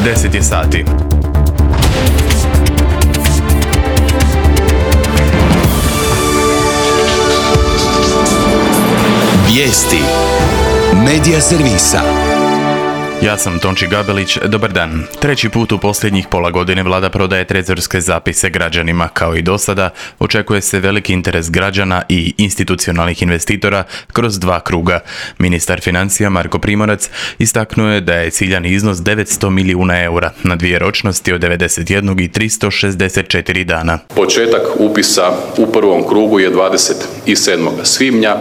10 je sati. Vijesti Medija servisa. Ja sam Tonči Gabelić, dobar dan. Treći put u posljednjih pola godine vlada prodaje trezorske zapise građanima. Kao i do sada, očekuje se veliki interes građana i institucionalnih investitora kroz dva kruga. Ministar financija Marko Primorac istaknuo je da je ciljani iznos 900 milijuna eura na dvije ročnosti od 91 i 364 dana. Početak upisa u prvom krugu je 27. svibnja.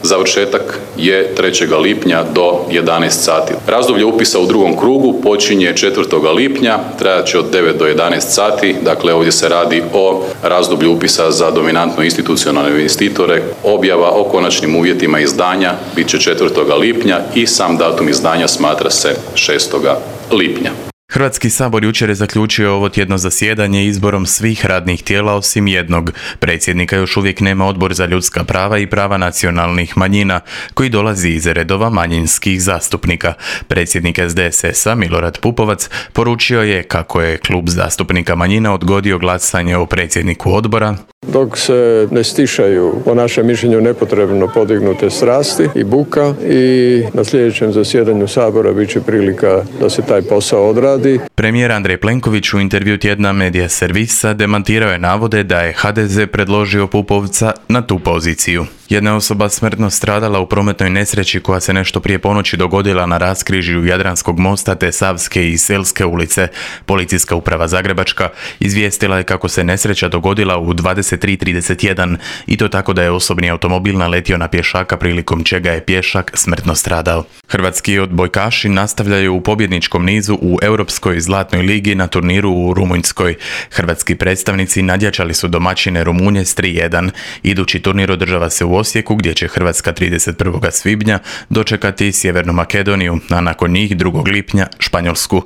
Završetak je 3. lipnja do 11 sati. Razdoblje upisa u drugom krugu počinje 4. lipnja, trajat će od 9 do 11 sati, dakle ovdje se radi o razdoblju upisa za dominantno institucionalne investitore. Objava o konačnim uvjetima izdanja bit će 4. lipnja i sam datum izdanja smatra se 6. lipnja. Hrvatski sabor jučer je zaključio ovo tjedno zasjedanje izborom svih radnih tijela osim jednog. Predsjednika još uvijek nema Odbor za ljudska prava i prava nacionalnih manjina, koji dolazi iz redova manjinskih zastupnika. Predsjednik SDSS-a Milorad Pupovac poručio je kako je klub zastupnika manjina odgodio glasanje o predsjedniku odbora. Dok se ne stišaju, po našem mišljenju, nepotrebno podignute strasti i buka, i na sljedećem zasjedanju sabora bit će prilika da se taj posao odradi. Premijer Andrej Plenković u intervju tjedna Medija servisa demantirao je navode da je HDZ predložio Pupovca na tu poziciju. Jedna osoba smrtno stradala u prometnoj nesreći koja se nešto prije ponoći dogodila na raskrižju Jadranskog mosta te Savske i Selske ulice. Policijska uprava Zagrebačka izvijestila je kako se nesreća dogodila u 23:31 i to tako da je osobni automobil naletio na pješaka prilikom čega je pješak smrtno stradao. Hrvatski odbojkaši nastavljaju u pobjedničkom nizu u Europskoj zlatnoj ligi na turniru u Rumunjskoj. Hrvatski predstavnici nadjačali su domaćine Rumunje s 3:1. Idući turnir održava se u Osijeku gdje će Hrvatska 31. svibnja dočekati Sjevernu Makedoniju, a nakon njih 2. lipnja Španjolsku.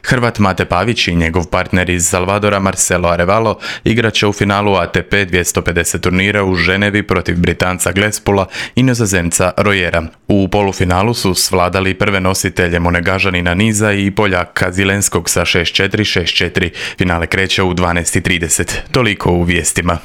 Hrvat Mate Pavić i njegov partner iz Salvadora Marcelo Arevalo igrat će u finalu ATP 250 turnira u Ženevi protiv Britanca Glespula i Nizozemca Rojera. U polufinalu su svladali prve nositelje Monegažanina niza i Poljaka Zilenskog sa 6:4, 6:4. Finale kreće u 12:30. Toliko u vijestima.